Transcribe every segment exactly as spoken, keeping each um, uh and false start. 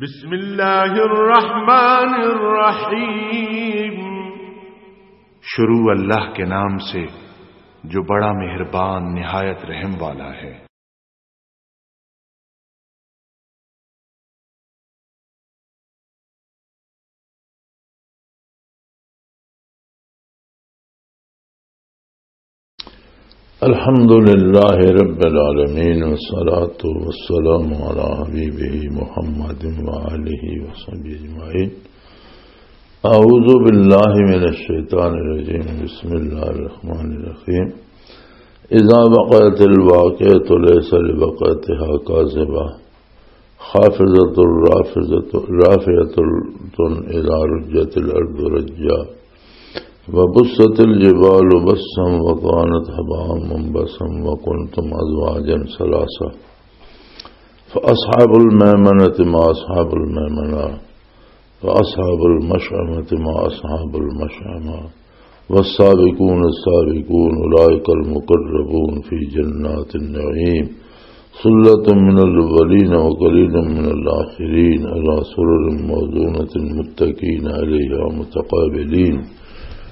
بسم اللہ الرحمن الرحیم۔ شروع اللہ کے نام سے جو بڑا مہربان نہایت رحم والا ہے۔ الحمد لله رب العالمين، والصلاة والسلام على حبيبه محمد وآله وصحبه أجمعين. أعوذ بالله من الشيطان الرجيم. بسم الله الرحمن الرحيم. إذا وقعت الواقعة ليس لوقعتها كاذبة، خافضة رافضة، رافعة إذا رجت الأرض رجا، وبست الجبال بسا فكانت هباء منبثا وكنتم أزواجا ثلاثة، فأصحاب الميمنة ما أصحاب الميمنة، وأصحاب المشأمة ما أصحاب المشأمة، والسابقون السابقون أولئك المقربون في جنات النعيم، ثلة من الأولين وقليل من الآخرين، على سرر موضونة متكئين عليها متقابلين،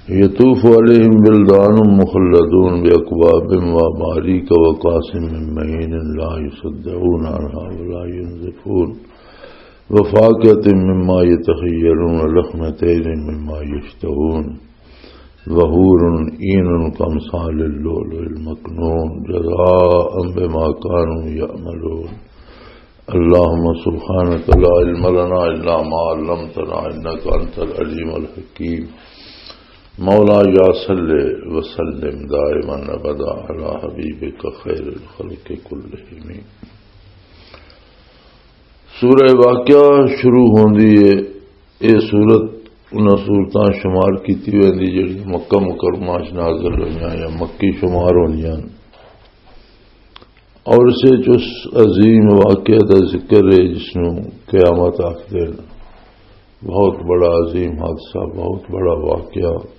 يطوف عليهم ولدان مخلدون بأكواب وأباريك وكأس من معين لا يصدعون عنها ولا ينزفون، وفاكهة مما يتخيرون ولحم طير مما يشتهون، وحور عين كأمثال اللؤلؤ المكنون، جزاء بما كانوا يعملون. اللهم سبحانك لا علم لنا إلا ما علمتنا إنك أنت العليم الحكيم. مولاي صل وسلم دائما أبدا على حبيبك خير الخلق كلهم. سورہ واقعہ شروع ہوندی ہے۔ یہ سورت انہاں سورتاں شمار کیتی ویندی جڑی مکہ مکرمہ چ نازل ہوئیاں یا مکی شمار ہوندیاں۔ اور اس وچ اس عظیم واقعہ دا ذکر ہے جس نوں قیامت آکھدے نے۔ بہت بڑا عظیم حادثہ، بہت بڑا واقعہ۔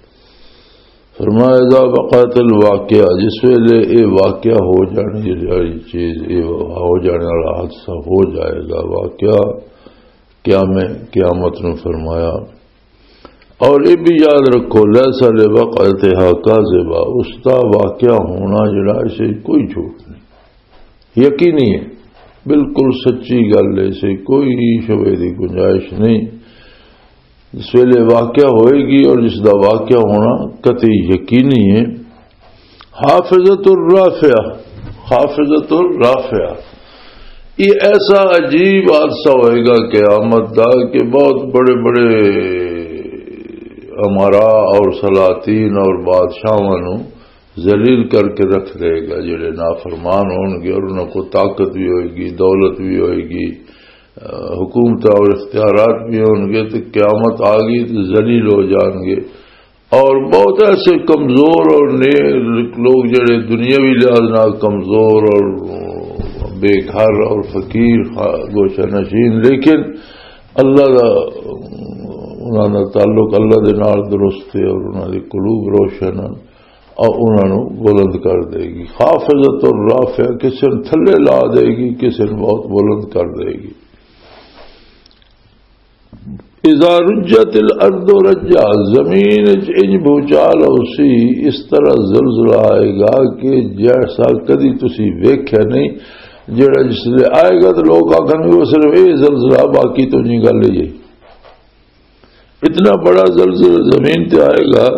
فرمایا، اذا وقعت الواقعہ، جس ویلے اے واقعہ ہو جانے والی چیز، اے ہو جانے والا حادثہ ہو جائے گا، واقعہ قیام-، قیامت نو فرمایا۔ اور یہ بھی یاد رکھو، لیس لوقعتها کاذبہ، اس دا واقعہ ہونا جڑا، اسے کوئی جھوٹ نہیں، یقینی ہے، بالکل سچی گل ہے، اسے کوئی شبے دی گنجائش نہیں۔ جس ویلے واقعہ ہوئے گی اور جس دا واقعہ ہونا قطعی یقینی ہے، خافضۃ الرافعہ، خافضۃ الرافعہ، یہ ایسا عجیب حادثہ ہوئے گا قیامت دا کہ بہت بڑے بڑے امراء اور سلاطین اور بادشاہاں نو ذلیل کر کے رکھ دے گا۔ جڑے نافرمان ہون گے اور انہاں کو طاقت بھی ہوئے گی، دولت بھی ہوئے گی، حکومت اور اختیارات بھی ہون گے، تو قیامت آ گئی تو ذلیل ہو جان گے۔ اور بہت ایسے کمزور اور نے-، لوگ جڑے دنیاوی لحاظ نال کمزور اور بے گھر اور فقیر، گوشہ نشین، لیکن اللہ دا، انہاں دا تعلق اللہ دے نال درست ہے اور انہاں دے قلوب روشن ہیں، اور انہاں نوں بلند کر دے گی۔ خافضۃ الرافعہ، کسے نوں تھلے لا دے گی، کسے نوں بہت بلند کر دے گی۔ اذا رجت الارض رجا، زمین وچ انج بھوچال ہوسی، اس طرح زلزلہ آئے گا کہ جیسا کدی تسی ویکھیا نہیں۔ جڑا جس لے آئے گا تو لوگ آکھن گے، "وہ صرف یہ زلزلہ، باقی تو نہیں گل یہ۔" اتنا بڑا زلزلہ زمین تے آئے گا۔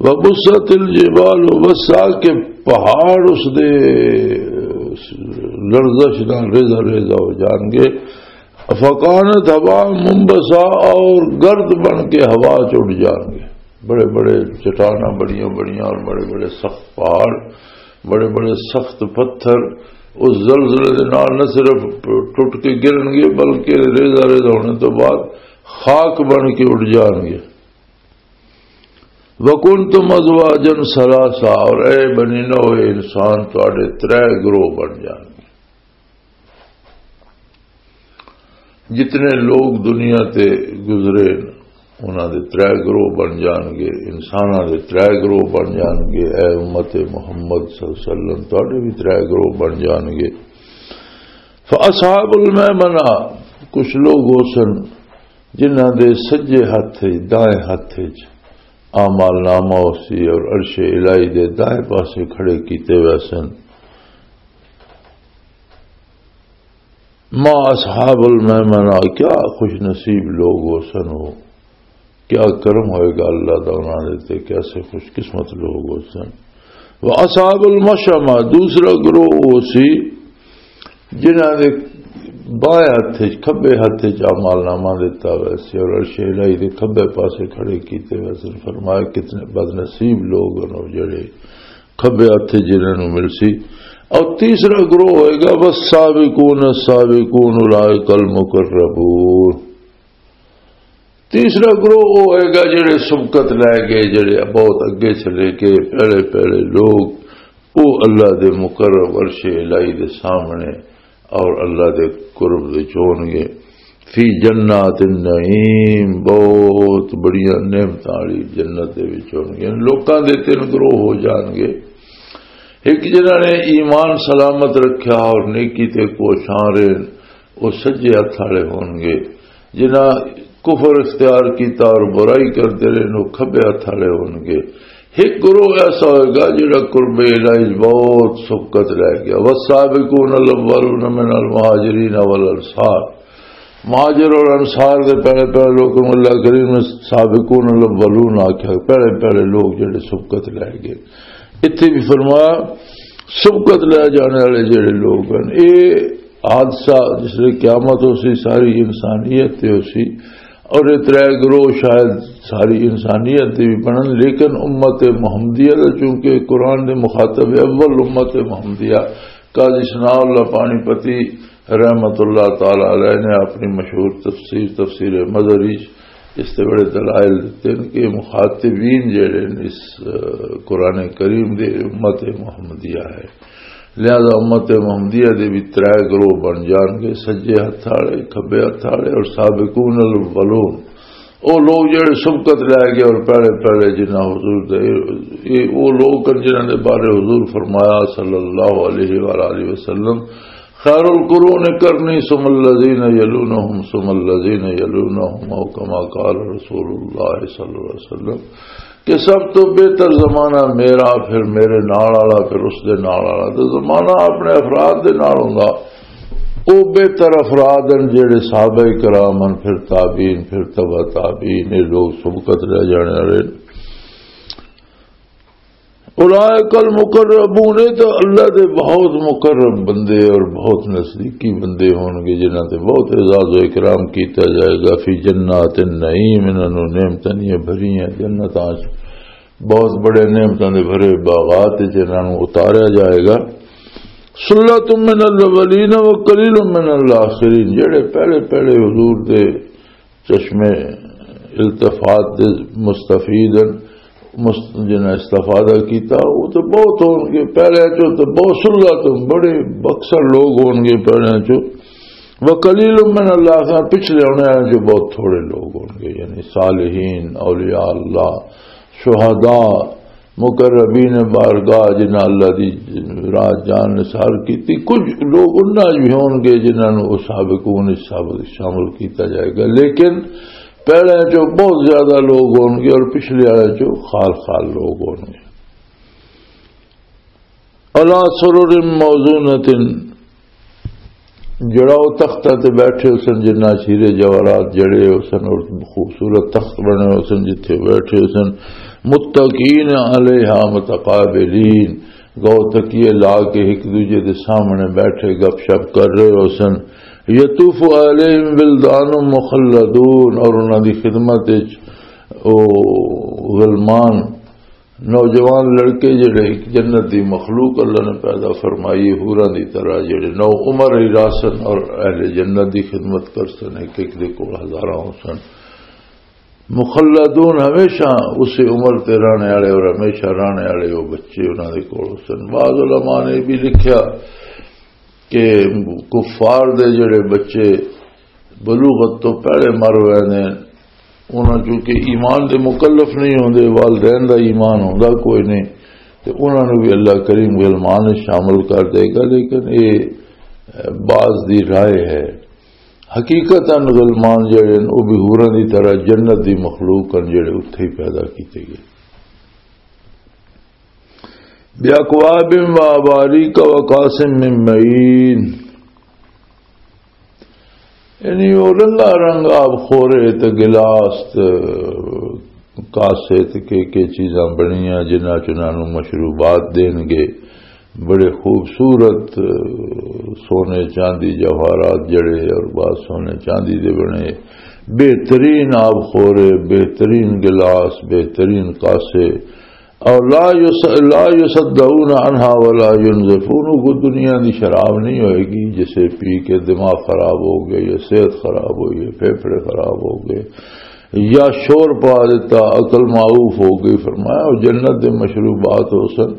وبست الجبال بسا، کہ پہاڑ اس دے لرزش نال ریزہ ریزہ ہو جان گے۔ فکانت ہباء منبثا، اور گرد بن کے ہوا چ اڑ جان گے۔ بڑے بڑے چٹاناں، بڑیاں بڑیاں اور بڑے بڑے سخت پہاڑ، بڑے بڑے سخت پتھر اس زلزلے دے نال نہ صرف ٹوٹ کے گرن گے بلکہ ریزہ ریزہ ہونے تو بعد خاک بن کے اڑ جان گے۔ وَكُنْتُمْ أَزْوَاجًا ثَلَاثَةً، اور اے بنی نوع انسان، تواڈے ترے گروہ بن جان گے۔ جتنے لوگ دنیا تے گزرے، انہاں دے ترے گروہ بن جان گے، انساناں دے ترے گروہ بن جان گے۔ اے امت محمد صلی اللہ علیہ وسلم، تواڈے بھی ترے گروہ بن جان گے۔ فَأَصْحَابُ الْمَيْمَنَةِ، کچھ لوگ ہو سن جنہاں دے سجے ہاتھ وچ، دائیں ہاتھ وچ اعمال نامہ ہو سی اور عرش الہی دے دائیں پاسے کھڑے کیتے ہوئے سن۔ ما اصحاب المیمنہ، کیا خوش نصیب لوگ ہو سن وہ، کیا کرم ہوئے گا اللہ دا انہاں دے تے، کیسے خوش قسمت لوگ ہو سن۔ وہ اصحاب المشأمہ، دوسرا گروہ وہ سی جنہاں دے بائیں ہتھ وچ، کھبے ہتھ وچ اعمال نامہ دتا ہویا سی اور عرش الہی دے کھبے پاسے کھڑے کیتے ہوئے سن۔ فرمایا، کتنے بد نصیب لوگ ہن وہ جڑے کھبے ہتھ وچ جنہاں نوں مل سی۔ اور تیسرا گروہ ہوئے گا، والسابقون السابقون اولئک المقربون۔ تیسرا گروہ وہ ہوئے گا جڑے سبقت لے گئے، جڑے بہت اگے چلے گئے، پہلے پہلے لوگ، وہ اللہ دے مقرب عرش الہی دے سامنے اور اللہ دے قرب وچ ہون گے۔ فی جنات النعیم، بہت بڑیاں نعمتاں والی جنت دے وچ ہون گے۔ لوکاں دے تین گروہ ہو جان گے۔ ایک جنہاں نے ایمان سلامت رکھیا اور نیکی تے کوشاں رہے، وہ سجے ہتھ والے ہون گے۔ جنہاں کفر اختیار کیتا اور برائی کرتے رہے، وہ کھبے ہتھ والے ہون گے۔ ایک گروہ ایسا ہوئے گا جڑا قرب الہی بہت سبقت رہ گیا۔ والسابقون الاولون من المہاجرین والانصار، مہاجر اور انصار دے پہلے پہلے لوگوں نوں اللہ کریم نے سابقون الاولون آکھیا، پہلے پہلے لوگ جڑے سبقت لے گئے۔ اتھے بھی فرمایا، سبقت لے جانے والے جڑے لوگ ہیں، اے حادثہ جس لئے قیامت ہو سی، ساری انسانیت تے ہو سی، اور یہ ترے گروہ شاید ساری انسانیت دے بھی بنن، لیکن امت محمدیہ دا چونکہ قرآن دے مخاطب اول امت محمدیہ، قاضی ثناء اللہ پانی پتی رحمت اللہ تعالی علیہ نے اپنی مشہور تفسیر، تفسیر مظہری، اس تے بڑے دلائل دیتے ہیں کہ مخاطبین جڑے ہیں اس، آ، قرآن کریم دے امت محمدیہ ہے۔ لہذا امت محمدیہ دے بھی ترے گروہ بن جان گے، سجے ہتھ والے، کھبے ہتھ والے اور سابقون الاولون۔ او لوگ جڑے سبقت لے گئے اور پہلے پہلے جنہاں حضور دے، یہ وہ لوگ ہیں جنہاں دے بارے حضور فرمایا صلی اللہ علیہ وآلہ وسلم، خیر القرون قرنی ثم الذین یلونہم ثم الذین یلونہم، او کما قال رسول اللہ صلی اللہ علیہ وسلم، کہ سب تو بہتر زمانہ میرا، پھر میرے نال والا، پھر اس دے نال والا۔ تو زمانہ اپنے افراد دے نال ہوندا، او بہتر افراد ہیں جڑے صحابہ کرام ہیں، پھر تابعین، پھر تبع تابعین، یہ لوگ سبقت لے جانے والے۔ اولئک المقربون، یہ تو اللہ دے بہت مقرب بندے اور بہت نزدیکی بندے ہون گے، جنہاں تے بہت اعزاز و اکرام کیتا جائے گا۔ فی جنات النعیم، انہاں نوں نعمتاں دیاں بھریاں جنتاں چ، بہت بڑے نعمتاں دے بھرے باغات چ انہاں نوں اتاریا جائے گا۔ ثلۃ من الاولین و قلیل من الاخرین، جڑے پہلے پہلے حضور دے چشمے التفات دے مستفید ہیں، مست-، جنہاں استفادہ کیتا، وہ تو بہت ہون گے۔ پہلے چو تو بہت سلگا تو بڑے بکثر لوگ ہون گے پہلے چو۔ وقلیل من اللہ، پچھلے ہونے والے جو بہت تھوڑے لوگ ہون گے، یعنی صالحین، اولیاء اللہ، شہداء، مقربین بارگاہ، جنہاں اللہ دی راہ جان نثار کیتی۔ کچھ لوگ انہاں بھی ہون گے جنہاں نوں سابقون وچ سابق شامل کیتا جائے گا، لیکن پہلے چوں بہت زیادہ لوگ ہون گے اور پچھلے والے چوں خال خال لوگ ہون گے۔ علی سرر موضونۃ، جڑا او تختہ تے بیٹھے ہوسن، جنہاں چ ہیرے جواہرات جڑے ہوسن اور خوبصورت تخت بنے ہوسن، جتھے بیٹھے ہوسن۔ متکئین علیہا متقابلین، گو تکیے لا کے ایک دوجے دے سامنے بیٹھے گپ شپ کر رہے ہوسن۔ یطوف علیہم ولدان مخلدون، اور انہاں دی خدمت وچ او غلمان، نوجوان لڑکے جڑے ایک جنت دی مخلوق اللہ نے پیدا فرمائی، حوراں دی طرح جڑے نو عمر ہی راسن اور اہل جنت دی خدمت کر سن، ایک ایک دے کول ہزاراں ہو سن۔ مخلدون، ہمیشہ اسی عمر تے رہنے والے اور ہمیشہ رہنے والے وہ بچے انہاں دے کول ہو سن۔ بعض علماء نے یہ بھی لکھیا کہ کفار دے جڑے بچے بلوغت تو پہلے مر ہوئے نے، انہاں چونکہ ایمان دے مکلف نہیں ہوندے، والدین دا ایمان ہوندا کوئی نہیں، تے انہاں نوں بھی اللہ کریم غلمان شامل کر دے گا۔ لیکن اے بعض دی رائے ہے۔ حقیقتاً غلمان جڑے ہن، او بھی حوراں دی طرح جنت دی مخلوق ہن، جڑے اتھے ہی پیدا کیتے گئے۔ بِأَكْوَابٍ وَأَبَارِيكَ وَكَأْسٍ مِّن مَّعِينٍ۔ یعنی، او رنگا رنگ آب خورے تے گلاس تے کاسے تے کے کے چیزاں بنیاں، جنہاں چ انہاں نوں مشروبات دین گے۔ بڑے خوبصورت، اہ، سونے، چاندی، جواہرات جڑے اور بعض سونے چاندی دے بنے، بہترین آب خورے، بہترین گلاس، بہترین کاسے۔ اور لا یس-، لا یصدعون عنہا ولا ینزفون، وہ دنیا دی شراب نہیں ہوئے گی جسے پی کے دماغ خراب ہو گئے یا صحت خراب ہوئی ہے، پھیپھڑے خراب ہو گئے یا شور پا دیتا، عقل معوف ہو گئی۔ فرمایا، وہ جنت دے مشروبات ہو سن،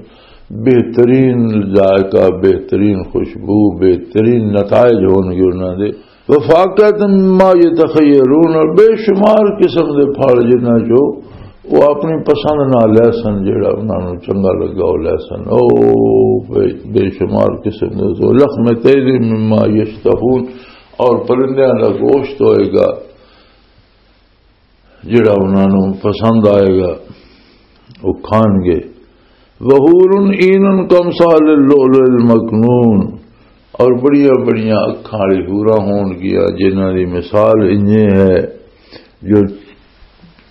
بہترین ذائقہ، بہترین خوشبو، بہترین نتائج ہون گے انہاں دے۔ وفاقہ مما یتخیرون، اور بے شمار قسم دے پھل جنہاں چو وہ اپنی پسند نہ لے سن، جڑا انہاں نوں چنگا لگا وہ لے سن۔ او بے، بے شمار قسم دے، تو لحم طیر مما یشتہون، اور پرندیاں دا گوشت ہوئے گا، جڑا انہاں نوں پسند آئے گا، وہ کھان گے۔ وحور عین کامثال اللؤلؤ المکنون، اور بڑیاں بڑیاں اکھاں والی حوراں ہون گیاں، جنہاں دی مثال انجے ہے جو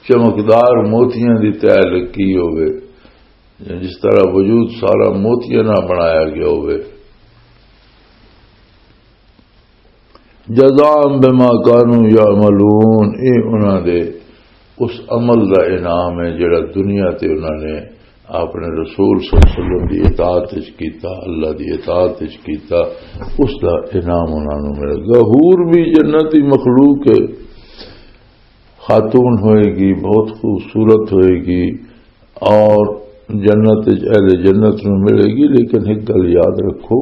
چمکدار موتیاں دی تہ لگی ہوئے، جس طرح وجود سارا موتیاں نال بنایا گیا ہوئے۔ جزاء بما كانوا يعملون، اے انہاں دے اس عمل دا انعام ہے جڑا دنیا تے انہاں نے اپنے رسول صلی اللہ علیہ وسلم دی اطاعت وچ کیتا، اللہ دی اطاعت وچ کیتا، اس دا انعام انہاں نوں ملے گا۔ حور بھی جنتی مخلوق ہے، خاتون ہوئے گی، بہت خوبصورت ہوئے گی، اور جنت وچ اہل جنت نوں ملے گی۔ لیکن ایک گل یاد رکھو،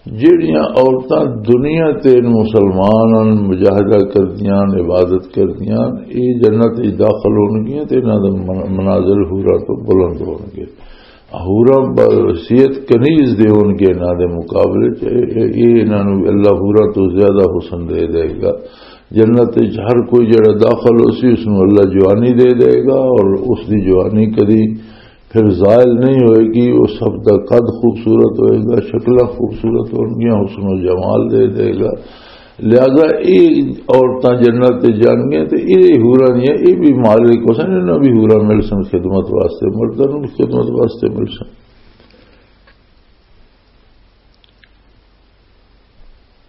جہڑیاں عورتاں دنیا تے مسلمان ہن، مجاہدہ کردیاں ہن، عبادت کردیاں ہن، اے جنت وچ داخل ہون گیاں تے انہاں دے من-، منازل حوراں تو بلند ہون گے۔ حوراں ب-، حیثیت کنیز دے ہون گے انہاں دے مقابلے چ۔ اے، اے، اے انہاں نوں اللہ حوراں تو زیادہ حسن دے دے گا۔ جنت وچ ہر کوئی جڑا داخل ہو سی، اس نوں اللہ جوانی دے دے گا، اور اس دی جوانی کدی پھر زائل نہیں ہوئے گی۔ وہ سب دا قد خوبصورت ہوئے گا، شکلاں خوبصورت ہون گیاں، حسن و جمال دے دے گا۔ لہذا اے عورتاں جنت تے جان گیاں تے اے حوراں دیاں، اے بھی مالک ہو سن، انہاں بھی حوراں مل سن خدمت واسطے، مرداں نوں بھی خدمت واسطے مل سن۔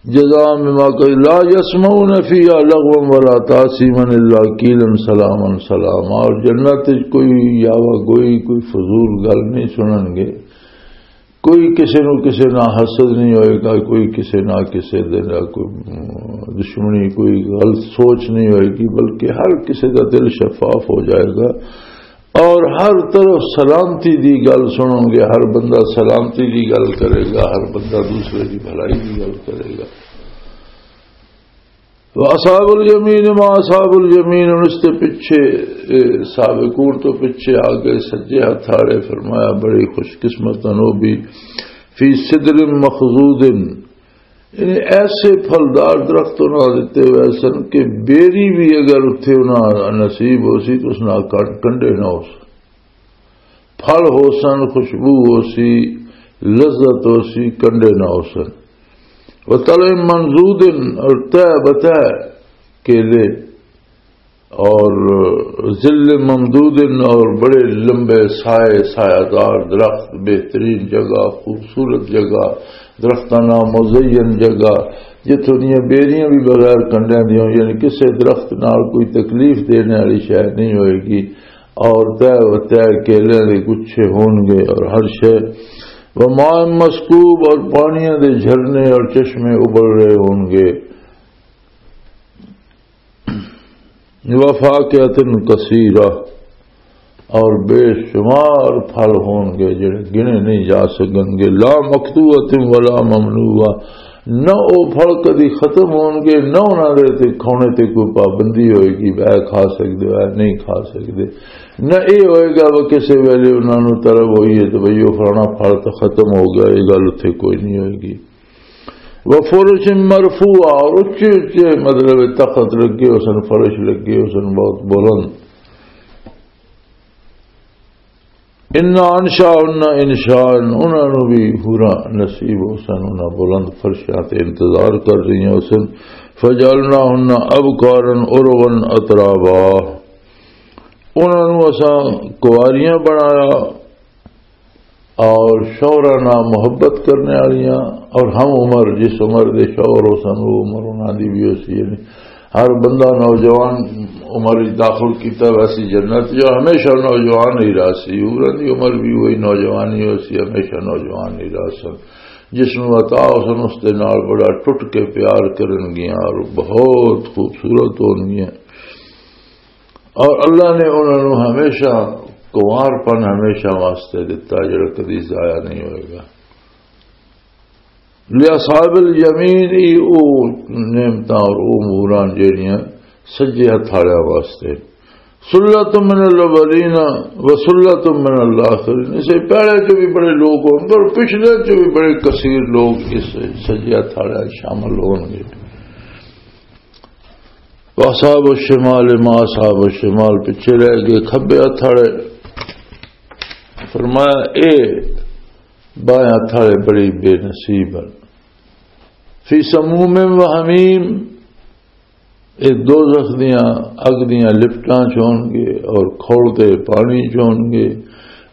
جزاء بما كانوا، لا يسمعون فيها لغوا ولا تأثيما إلا قيلا سلاما سلاما۔ اور جنت وچ کوئی یاوہ گوئی، کوئی فضول گل نہیں سنن گے، کوئی کسے نو کسے نہ حسد نہیں ہوئے گا، کوئی کسے نہ کسے دے نہ کوئی دشمنی، کوئی غلط سوچ نہیں ہوئے گی، بلکہ ہر کسے دا دل شفاف ہو جائے گا۔ اور ہر طرف سلامتی دی گل سنو گے، ہر بندہ سلامتی دی گل کرے گا، ہر بندہ دوسرے دی بھلائی دی گل کرے گا۔ تو اصحاب الیمین ما اصحاب الیمین، اس تے پیچھے، اے، سابقون تو پیچھے آ گئے، سجے ہاتھ آڑے۔ فرمایا، بڑی خوش قسمت ہن او بھی، فی سدر مخضود، یعنی ایسے پھلدار درخت انہاں دتے ہوئے سن کہ بیری بھی اگر اتھے انہاں نصیب ہو سی تو اس نال کٹ کنڈے نہ ہو سن۔ پھل ہو سن، خوشبو ہو سی، لذت ہو سی، کنڈے نہ ہو سن۔ وطلع منضود، اور تہ بتہ کیلے، اور ظل ممدود، اور بڑے لمبے سائے، سایہ دار درخت، بہترین جگہ، خوبصورت جگہ، درختاں نال مزین جگہ، جتھوں دیاں بیریاں بھی بغیر کنڈیاں دیاں، یعنی کسے درخت نال کوئی تکلیف دینے والی شے نہیں ہوئے گی۔ اور تہ و تہ کیلیاں دے گچھے ہون گے اور ہر شے، وماء مسکوب، اور پانیاں دے جھرنے اور چشمے ابل رہے ہون گے۔ وفاکہۃ کثیرہ، اور بے شمار پھل ہون گے جڑے گنے نہیں جا سکن گے۔ لا مقطوعۃ ولا ممنوعہ، نہ او پھل کدی ختم ہون گے، نہ انہاں دے تے کھونے تے کوئی پابندی ہوئے گی، اے کھا سکدے ہو، اے نہیں کھا سکدے۔ نہ اے ہوئے گا وہ کسے ویلے انہاں نوں طلب ہوئی ہے تو بھئی او فلانا پھل تو ختم ہو گیا، اے گل اتھے کوئی نہیں ہوئے گی۔ وفرش مرفوعہ، اور اچے اچے، مطلب، تخت لگے ہو سن، فرش لگے ہو سن، بہت بلند۔ انا انشاء انشاء، انہاں نوں بھی حوراں نصیب ہو سن، انہاں بلند فرشاں تے انتظار کر رہیاں ہو سن۔ فجعلناہن ابکارا عربا اترابا، انہاں نوں اساں کواریاں بنایا اور شوہراں نال محبت کرنے والیاں، اور ہم عمر، جس عمر دے شوہر ہو سن، وہ عمر انہاں دی بھی ہو سی، یعنی ہر بندہ نوجوان عمر وچ داخل کیتا ویسی جنت، جو ہمیشہ نوجوان ہی رہا سی، انہاں دی عمر بھی وہی نوجوان ہی ہو سی، ہمیشہ نوجوان ہی رہا سن۔ جس نوں عطا ہو سن، اس دے نال بڑا ٹوٹ کے پیار کرن گیاں اور بہت خوبصورت ہون گیاں۔ اور اللہ نے انہاں نوں ہمیشہ کنوار پن ہمیشہ واسطے دتا، جڑا کدی ضائع نہیں ہوئے گا۔ لِأَصْحَابِ الْيَمِينِ، ای او نعمتاں اور او اموراں جڑیاں سجے ہتھ والے واسطے۔ سلۃ من الاولین و سلۃ من الاخرین، اسے پہلے چ بھی بڑے لوگ ہون گے اور پچھلے چ بھی بڑے کثیر لوگ اس سجے ہتھ والے شامل ہون گے۔ واصحاب الشمال ما اصحاب الشمال، پیچھے رہ گئے کھبے ہتھ والے۔ فرمایا، اے بائیں ہتھ والے بڑی بے نصیب ہیں۔ فی سموم و حمیم، اے دوزخ دیاں اگ دیاں لپٹاں چ ہون گے اور کھولتے پانی چ ہون گے۔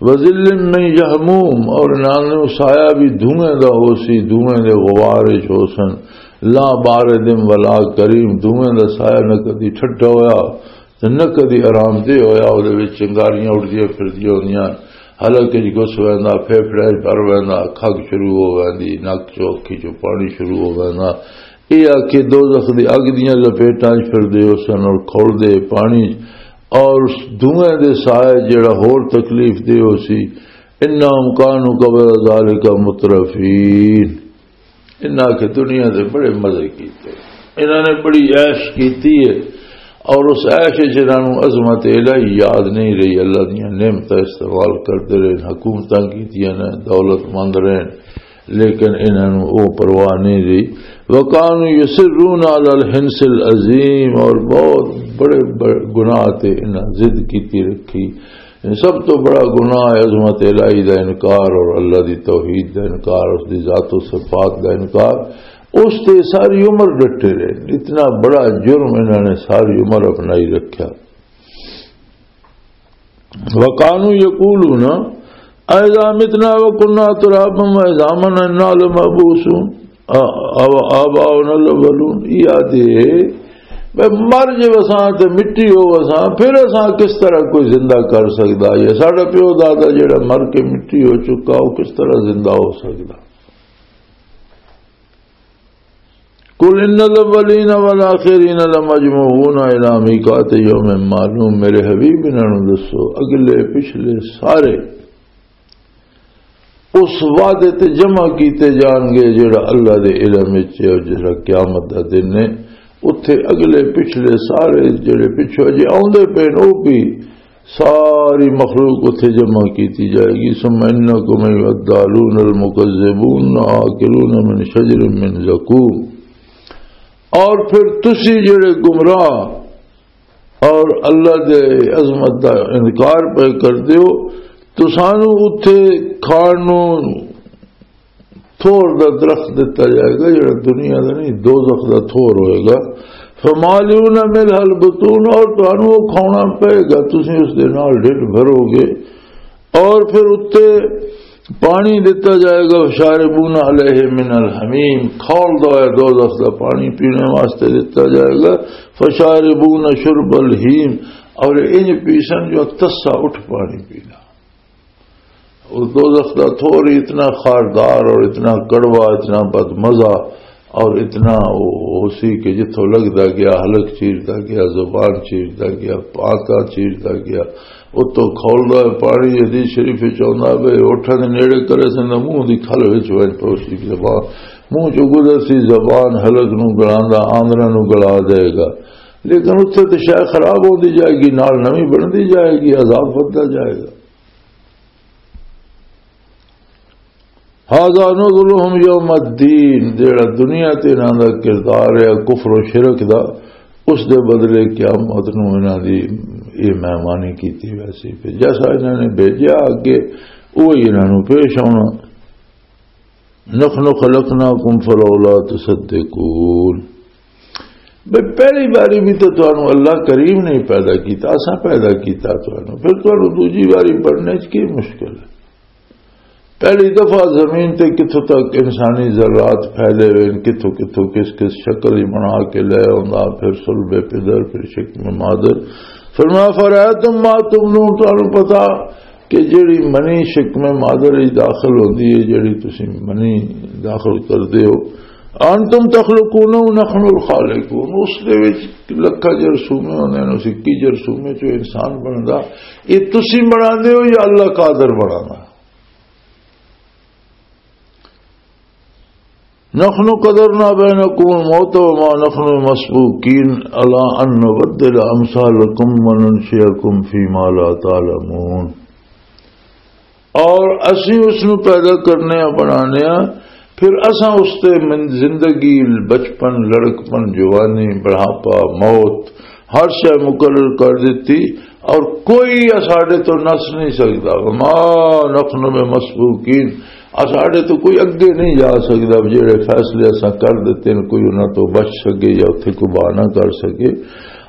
وظل من یحموم، اور انہاں نوں سایہ بھی دھوئیں دا ہو سی، دھوئیں دے غبار وچ ہو سن۔ لا بارد ولا کریم، دھوئیں دا سایہ نہ کدی ٹھڈا ہویا تے نہ کدی آرام دہ ہویا۔ او دے وچ چنگاریاں اڑدیاں پھردیاں ہوندیاں، حلق وچ گھس ویندا، پھیپھڑے وچ بھر ویندا، کھگ شروع ہو ویندی، نک چوں اکھی چوں پانی شروع ہو ویندا۔ اے آ کے دوزخ دی اگ دیاں لپیٹاں وچ پھردے ہو سن اور کھولدے پانی اور دھوئیں دے سائے جڑا ہور تکلیف دے ہو سی۔ انہم کانوا قبل ذالک مترفین۔ انہاں کے دنیا دے بڑے مزے کیتے، انہاں نے بڑی عیش کیتی ہے، اور اس عیش وچ انہاں نوں عظمت الہی یاد نہیں رہی، اللہ دیاں نعمتاں استعمال کردے رہے، حکومتاں کیتیاں نے، دولت مند رہے، لیکن انہاں نوں او پرواہ نہیں رہی۔ وکانوا یصرون علی الحنث العظیم، اور بہت بڑے بڑے گناہ تے انہاں ضد کیتی رکھی۔ سب تو بڑا گناہ ہے عظمت الہی دا انکار اور اللہ دی توحید دا انکار، اس دی ذات و صفات دا انکار۔ اس تے ساری عمر ڈٹے رہے، اتنا بڑا جرم انہاں نے ساری عمر اپنائی رکھیا۔ وَكَانُوا يَقُولُونَ أَإِذَا مِتْنَا وَكُنَّا تُرَابًا وَعِظَامًا أَإِنَّا لَمَبْعُوثُونَ، آ-، آ-، آباؤنا الاولون، یہ آدھے، "بے مر جے وساں تے مٹی ہو وساں، پھر اساں کس طرح کوئی زندہ کر سکدا ہے؟ ساڈا پیو دادا جڑا مر کے مٹی ہو چکا، وہ کس طرح زندہ ہو سکدا؟" قل ان الاولین والآخرین لمجموعون الی میقات یوم معلوم، میرے حبیب، انہاں نوں دسو، اگلے پچھلے سارے اس وعدے تے جمع کیتے جان گے جڑا اللہ دے علم وچ ہے، اور جڑا قیامت دا دن ہے، اتھے اگلے پچھلے سارے جڑے پچھو جے آوندے پے نے، او بھی ساری مخلوق اتھے جمع کیتی جائے گی۔ ثم انکم ایھا الضالون المکذبون آکلون من شجر من زقوم۔ اور پھر تسی جڑے گمراہ اور اللہ دے عظمت دا انکار پہ کر دیو، تو سانو اتھے کھان نو تھور دا درخت دتا جائے گا، جڑا دنیا دا نہیں، دوزخ دا تھور ہوئے گا۔ فمالئون منها البطون، اور تانوں وہ کھانا پئے گا، تسی اس دے نال ڈھڈ بھرو گے۔ اور پھر اتے پانی دتا جائے گا، فشاربون علیہ من الحمیم، کھولدا ہویا دوزخ دا پانی پینے واسطے دتا جائے گا۔ فشاربون شرب الہیم، اور انج پیسن جو تسا اٹھ پانی پینا۔ اس دوزخ دا تھور ہی اتنا خاردار اور اتنا کڑوا، اتنا بدمزہ اور اتنا وہ ہو سی کہ جتھوں لگدا گیا، حلق چیردا گیا، زبان چیردا گیا، پاتا چیردا گیا۔ اتوں کھولدا ہے پانی، حدیث شریف وچ آوندا پئے، اوٹھاں دے نیڑے کرے سن، منہ دی کھل وچ ونج پوسی زبان، منہ چوں گزر سی زبان، حلق نو گلاندا، آندراں نو گلا دے گا۔ لیکن اتھے تے شے خراب ہوندی جائے گی، نال نویں بندی جائے گی، عذاب وددا جائے گا۔ هذا نزلهم يوم الدين، جڑا دنیا تے انہاں دا کردار ہے کفر و شرک دا، اس دے بدلے قیامت نوں انہاں دی یہ مہمانی کیتی ویسی۔ پھر جیسا انہاں نے بھیجیا اگے، وہی انہاں نوں پیش آنا۔ نحن خلقناكم فلولا تصدقون۔ بھئی، پہلی باری بھی تو تانوں اللہ کریم نے پیدا کیتا، اساں پیدا کیتا تانوں، پھر تانوں دوجی باری بننے چ کی مشکل ہے؟ پہلی دفعہ زمین تے کتھوں تک انسانی ذرات پھیلے ہوئے ہن، کتھوں کتھوں کس کس شکل ہی بنا کے لے آندا، پھر صلب پدر، پھر شکم مادر۔ فرمایا، فرأيتم ما تمنون، تانوں پتا کہ جیڑی منی شکم مادر وچ داخل ہوندی ہے، جیڑی تسی منی داخل کردے ہو، انتم تخلقونه نحن الخالقون، اس دے وچ لکھاں جرثومے ہوندے نے، اس اکی جرثومے چوں انسان بندا، یہ تسی بناندے ہو یا اللہ قادر بنانا؟ نحن قدرنا بينكم الموت وما نحن مسبوقين على أن نبدل أمثالكم وننشئكم فيما لا تعلمون۔ اور اسی اس نو پیدا کرنے آ، بنانے آ، پھر اساں اس تے من-، زندگی، بچپن، لڑکپن، جوانی، بڑھاپا، موت، ہر شے مقرر کر دتی، اور کوئی اساڈے تو نس نہیں سکدا۔ وما نحن بمسبوقین، اساڈے تو کوئی اگے نہیں جا سکدا۔ جڑے فیصلے اساں کر دتے نے، کوئی انہاں تو بچ سکے یا اتھے کوئی بہانہ کر سکے۔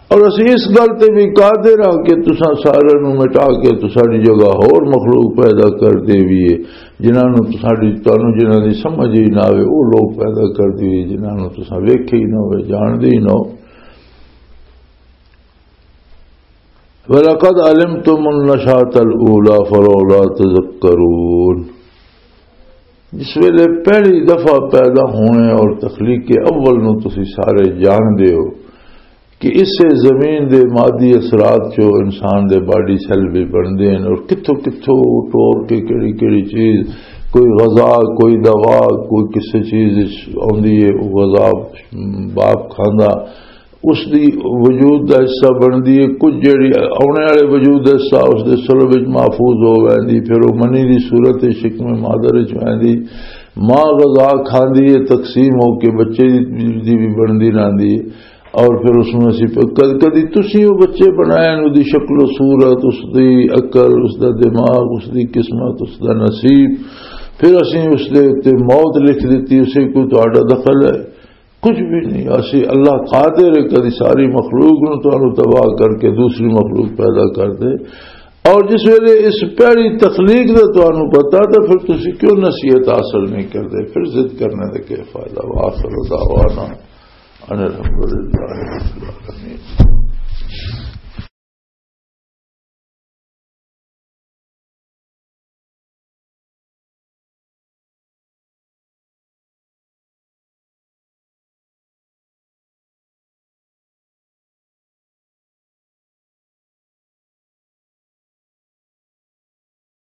اور اسی اس گل تے بھی قادر ہاں کہ تساں سارے نوں مٹا کے تساڈی جگہ ہور مخلوق پیدا کر دیویے، جنہاں نوں تساڈی، تانوں جنہاں دی سمجھ ہی نہ آوے، او لوگ پیدا کر دیویے، جنہاں نوں تساں ویکھے ہی نہ ہوئے، جاندے ہی نہ ہو۔ وَلَقَدْ عَلِمْتُمُ النَّشْأَةَ الْأُولَىٰ فَلَوْلَا تَذَكَّرُونَ۔ جس ویلے پہلی دفعہ پیدا ہونے اور تخلیق اول نو تسی سارے جان دے ہو کہ اس سے زمین دے مادی اثرات چو انسان دے باڈی سیل بھی بندے ہیں اور کتھوں کتھوں ٹور کے کیڑی کیڑی چیز، کوئی غذا، کوئی دوا، کوئی کسی چیز آندی ہے، وہ غذا باپ کھاندا، اس دی وجود دا حصہ بندی ہے۔ کچھ جڑی آنے والے وجود دا حصہ اس دے سلب وچ محفوظ ہو ویندی، پھر وہ منی دی صورت شکم مادر وچ ویندی، ماں غذا کھاندی ہے، تقسیم ہو کے بچے دی، دی بھی بندی رہندی ہے۔ اور پھر اس میں اسی پہ کد-، کدی تسی وہ بچے بنائے نے، دی شکل و صورت، اس دی عقل، اس دا دماغ، اس دی قسمت، اس دا نصیب، پھر اسی اس دے اُتے موت لکھ دتی، اسے کوئی تہاڈا دخل ہے؟ کچھ بھی نہیں۔ اسی اللہ قادر ہے، کدی ساری مخلوق نو تانوں تباہ کر کے دوسری مخلوق پیدا کر دے۔ اور جس ویلے اس پہلی تخلیق دا تانوں پتا، تو پھر تسی کیوں نصیحت حاصل نہیں کردے؟ پھر ضد کرنے دا کیا فائدہ؟ وآخر دعوانا ان الحمدللہ رب العالمین۔